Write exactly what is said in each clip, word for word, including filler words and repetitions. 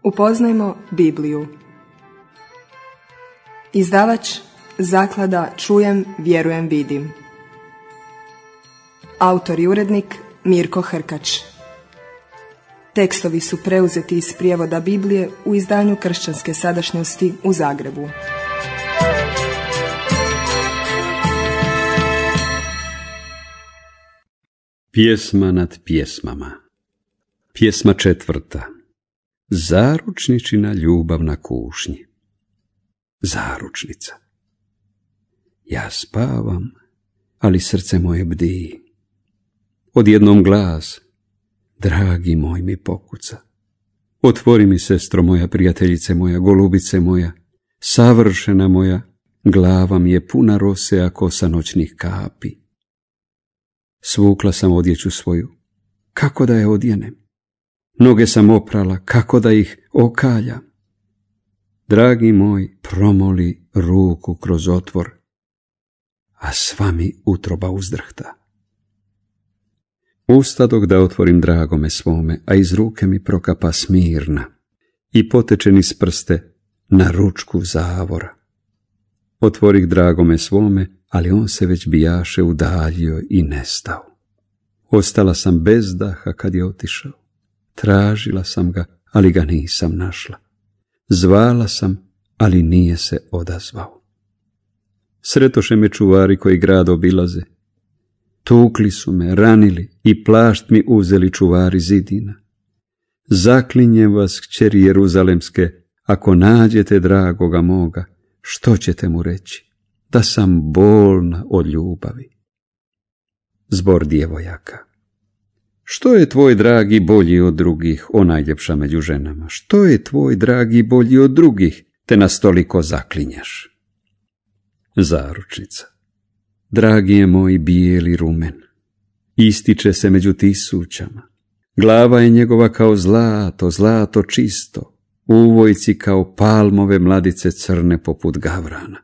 Upoznajmo Bibliju. Izdavač Zaklada Čujem, vjerujem, vidim. Autor i urednik Mirko Hrkač. Tekstovi su preuzeti iz prijevoda Biblije u izdanju Kršćanske sadašnjosti u Zagrebu. Pjesma nad pjesmama. Pjesma četvrta. Zaručničina ljubav na kušnji. Zaručnica. Ja spavam, ali srce moje bdi. Odjednom glas, dragi moj, mi pokuca. Otvori mi, sestro moja, prijateljice moja, golubice moja, savršena moja, glava mi je puna rose, a kosa noćnih kapi. Svukla sam odjeću svoju, kako da je odjenem? Noge sam oprala, kako da ih okaljam? Dragi moj, promoli ruku kroz otvor, a sva mi utroba uzdrhta. Ustadok da otvorim dragome svome, a iz ruke mi prokapa smirna i poteče niz prste na ručku zavora. Otvorih dragome svome, ali on se već bijaše udaljio i nestao. Ostala sam bez daha kad je otišao. Tražila sam ga, ali ga nisam našla. Zvala sam, ali nije se odazvao. Sretoše me čuvari koji grad obilaze. Tukli su me, ranili i plašt mi uzeli čuvari zidina. Zaklinjem vas, kćeri Jeruzalemske, ako nađete dragoga moga, što ćete mu reći? Da sam bolna od ljubavi. Zbor djevojaka. Što je tvoj dragi bolji od drugih, o najljepša među ženama? Što je tvoj dragi bolji od drugih, te nas toliko zaklinjaš? Zaručnica. Dragi je moj bijeli rumen, ističe se među tisućama. Glava je njegova kao zlato, zlato čisto, uvojci kao palmove mladice crne poput gavrana.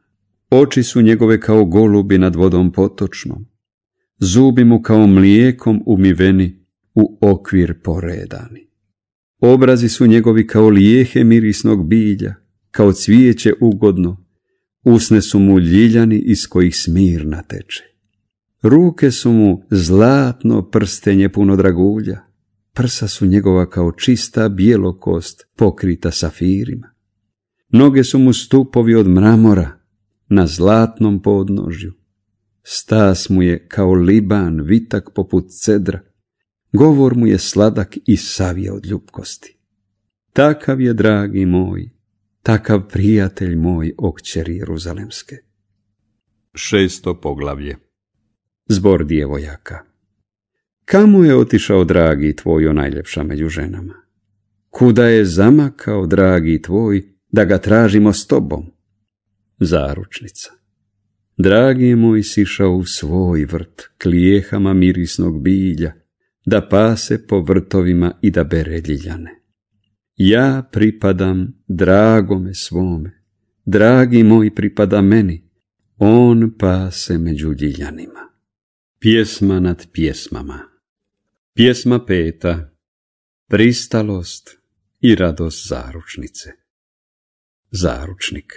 Oči su njegove kao golubi nad vodom potočnom, zubi mu kao mlijekom umiveni, u okvir poredani. Obrazi su njegovi kao lijehe mirisnog bilja, kao cvijeće ugodno, usne su mu ljiljani iz kojih smirna teče. Ruke su mu zlatno prstenje puno dragulja, prsa su njegova kao čista bijelokost pokrita safirima. Noge su mu stupovi od mramora na zlatnom podnožju. Stas mu je kao liban, vitak poput cedra. Govor mu je sladak i savije od ljubkosti. Takav je, dragi moj, takav prijatelj moj, o kćeri Jeruzalemske. Šesto poglavlje. Zbor djevojaka. Kamo je otišao dragi tvoj, o najljepša među ženama? Kuda je zamakao dragi tvoj, da ga tražimo s tobom? Zaručnica. Dragi je moj sišao u svoj vrt, klijehama mirisnog bilja, da pase po vrtovima i da bere ljiljane. Ja pripadam dragome svome, dragi moj pripada meni, on pase među ljiljanima. Pjesma nad pjesmama. Pjesma peta. Pristalost i radost zaručnice. Zaručnik.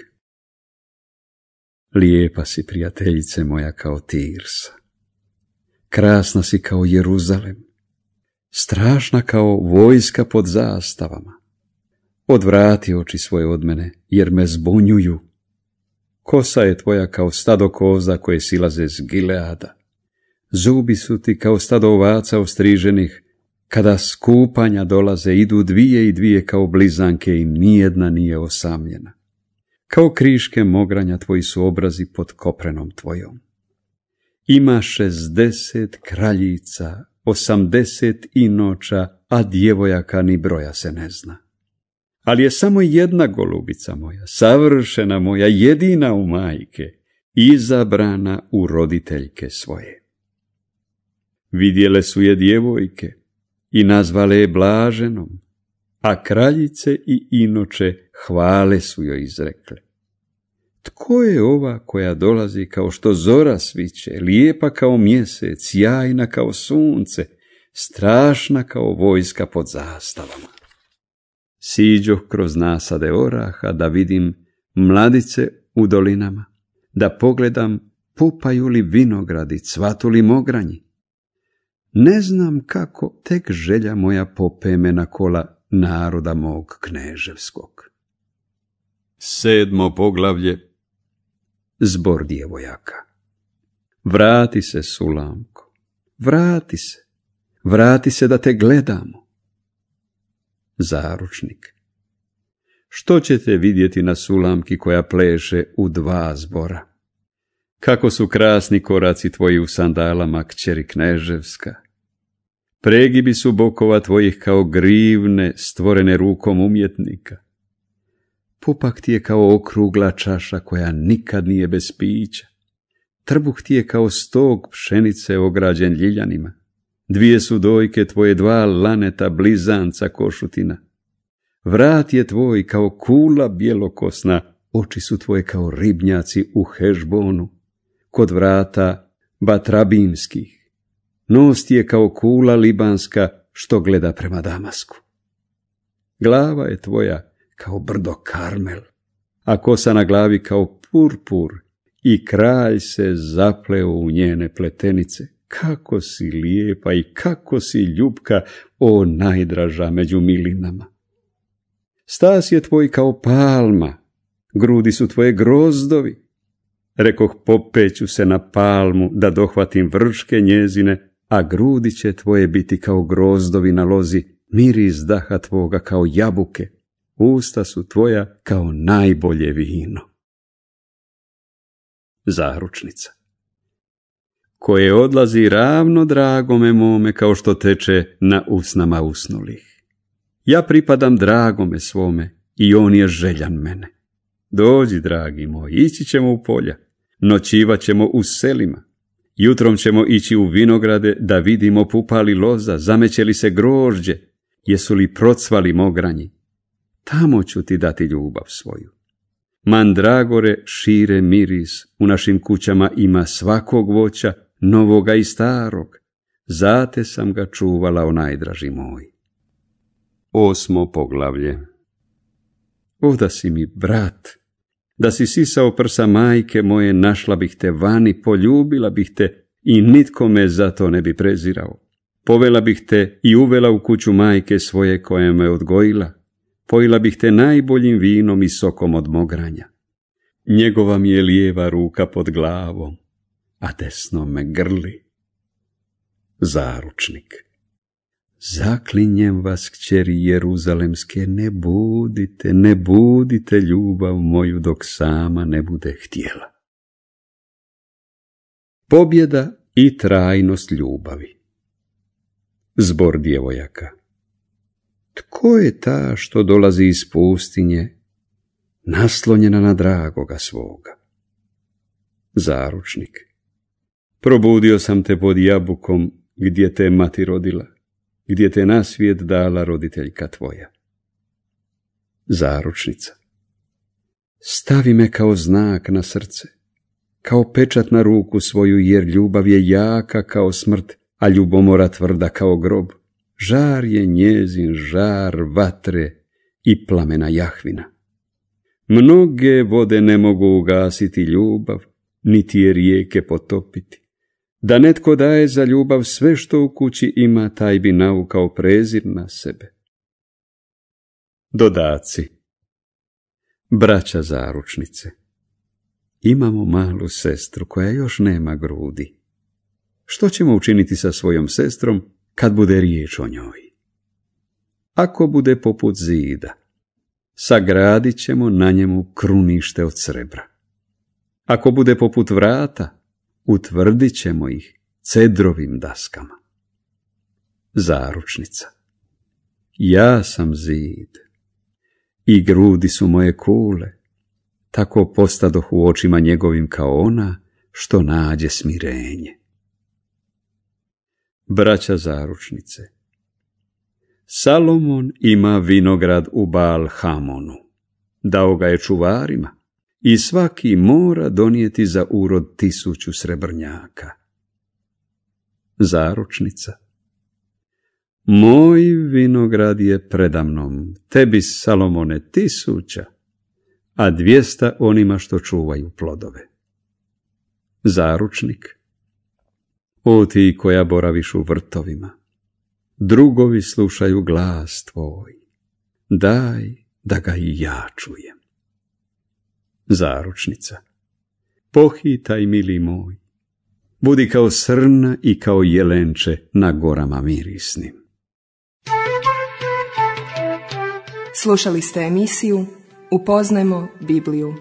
Lijepa si, prijateljice moja, kao Tirsa. Krasna si kao Jeruzalem. Strašna kao vojska pod zastavama. Odvrati oči svoje od mene, jer me zbunjuju. Kosa je tvoja kao stado koza koje silaze s Gileada. Zubi su ti kao stado ovaca ostriženih. Kada s kupanja dolaze, idu dvije i dvije kao blizanke i nijedna nije osamljena. Kao kriške mogranja tvoji su obrazi pod koprenom tvojom. Ima šezdeset kraljica, osamdeset inoča, a djevojaka ni broja se ne zna. Ali je samo jedna golubica moja, savršena moja, jedina u majke, izabrana u roditeljke svoje. Vidjele su je djevojke i nazvale je blaženom, a kraljice i inoče hvale su joj izrekle. Tko je ova koja dolazi kao što zora sviće, lijepa kao mjesec, sjajna kao sunce, strašna kao vojska pod zastavama? Siđoh kroz nasade oraha da vidim mladice u dolinama, da pogledam pupaju li vinogradi, cvatu li mogranji. Ne znam kako, tek želja moja popeme na kola naroda mog kneževskog. Sedmo poglavlje. Zbor djevojaka. Vrati se, Sulamko, vrati se, vrati se da te gledamo. Zaručnik. Što ćete vidjeti na Sulamki koja pleše u dva zbora? Kako su krasni koraci tvoji u sandalama, kćeri kneževska. Pregibi su bokova tvojih kao grivne stvorene rukom umjetnika. Pupak ti je kao okrugla čaša koja nikad nije bez pića. Trbuh ti je kao stog pšenice ograđen ljiljanima. Dvije su dojke tvoje dva laneta blizanca košutina. Vrat je tvoj kao kula bjelokosna, oči su tvoje kao ribnjaci u Hešbonu, kod vrata Batrabimskih. Nos ti je kao kula libanska što gleda prema Damasku. Glava je tvoja kao brdo Karmel, a kosa na glavi kao purpur i kralj se zapleo u njene pletenice. Kako si lijepa i kako si ljubka, o najdraža među milinama. Stas je tvoj kao palma, grudi su tvoje grozdovi. Rekoh, popeću se na palmu da dohvatim vrške njezine, a grudi će tvoje biti kao grozdovi na lozi, miris daha tvoga kao jabuke, usta su tvoja kao najbolje vino. Zaručnica. Koje odlazi ravno dragome mome kao što teče na usnama usnulih. Ja pripadam dragome svome i on je željan mene. Dođi, dragi moj, ići ćemo u polja, noćivat ćemo u selima, jutrom ćemo ići u vinograde da vidimo pupali loza, zameće li se grožđe, jesu li procvali mogranji. Tamo ću ti dati ljubav svoju. Mandragore šire miris, u našim kućama ima svakog voća, novoga i starog. Zate sam ga čuvala, o najdraži moj. Osmo poglavlje. O da si mi brat, da si sisao prsa majke moje, našla bih te vani, poljubila bih te i nitko me za to ne bi prezirao. Povela bih te i uvela u kuću majke svoje koja me odgojila. Pojila bih te najboljim vinom i sokom od mogranja. Njegova mi je lijeva ruka pod glavom, a desno me grli. Zaručnik. Zaklinjem vas, kćeri Jeruzalemske, ne budite, ne budite ljubav moju dok sama ne bude htjela. Pobjeda i trajnost ljubavi. Zbor djevojaka. Tko je ta što dolazi iz pustinje, naslonjena na dragoga svoga? Zaručnik. Probudio sam te pod jabukom gdje te mati rodila, gdje te na svijet dala roditeljka tvoja. Zaručnica. Stavi me kao znak na srce, kao pečat na ruku svoju, jer ljubav je jaka kao smrt, a ljubomora tvrda kao grob. Žar je njezin žar vatre i plamena Jahvina. Mnoge vode ne mogu ugasiti ljubav, niti je rijeke potopiti. Da netko daje za ljubav sve što u kući ima, taj bi naukao prezir na sebe. Dodaci. Braća zaručnice. Imamo malu sestru koja još nema grudi. Što ćemo učiniti sa svojom sestrom kad bude riječ o njoj? Ako bude poput zida, sagradit ćemo na njemu krunište od srebra. Ako bude poput vrata, utvrdit ćemo ih cedrovim daskama. Zaručnica. Ja sam zid i grudi su moje kule, tako postadoh u očima njegovim kao ona što nađe smirenje. Braća zaručnice. Salomon ima vinograd u Baal Hamonu, dao ga je čuvarima i svaki mora donijeti za urod tisuću srebrnjaka. Zaručnica. Moj vinograd je predamnom, tebi, Salomone, tisuća, a dvijesta onima što čuvaju plodove. Zaručnik. O ti koja boraviš u vrtovima, drugovi slušaju glas tvoj, daj da ga i ja čujem. Zaručnica. Pohitaj, mili moj, budi kao srna i kao jelenče na gorama mirisnim. Slušali ste emisiju Upoznajmo Bibliju.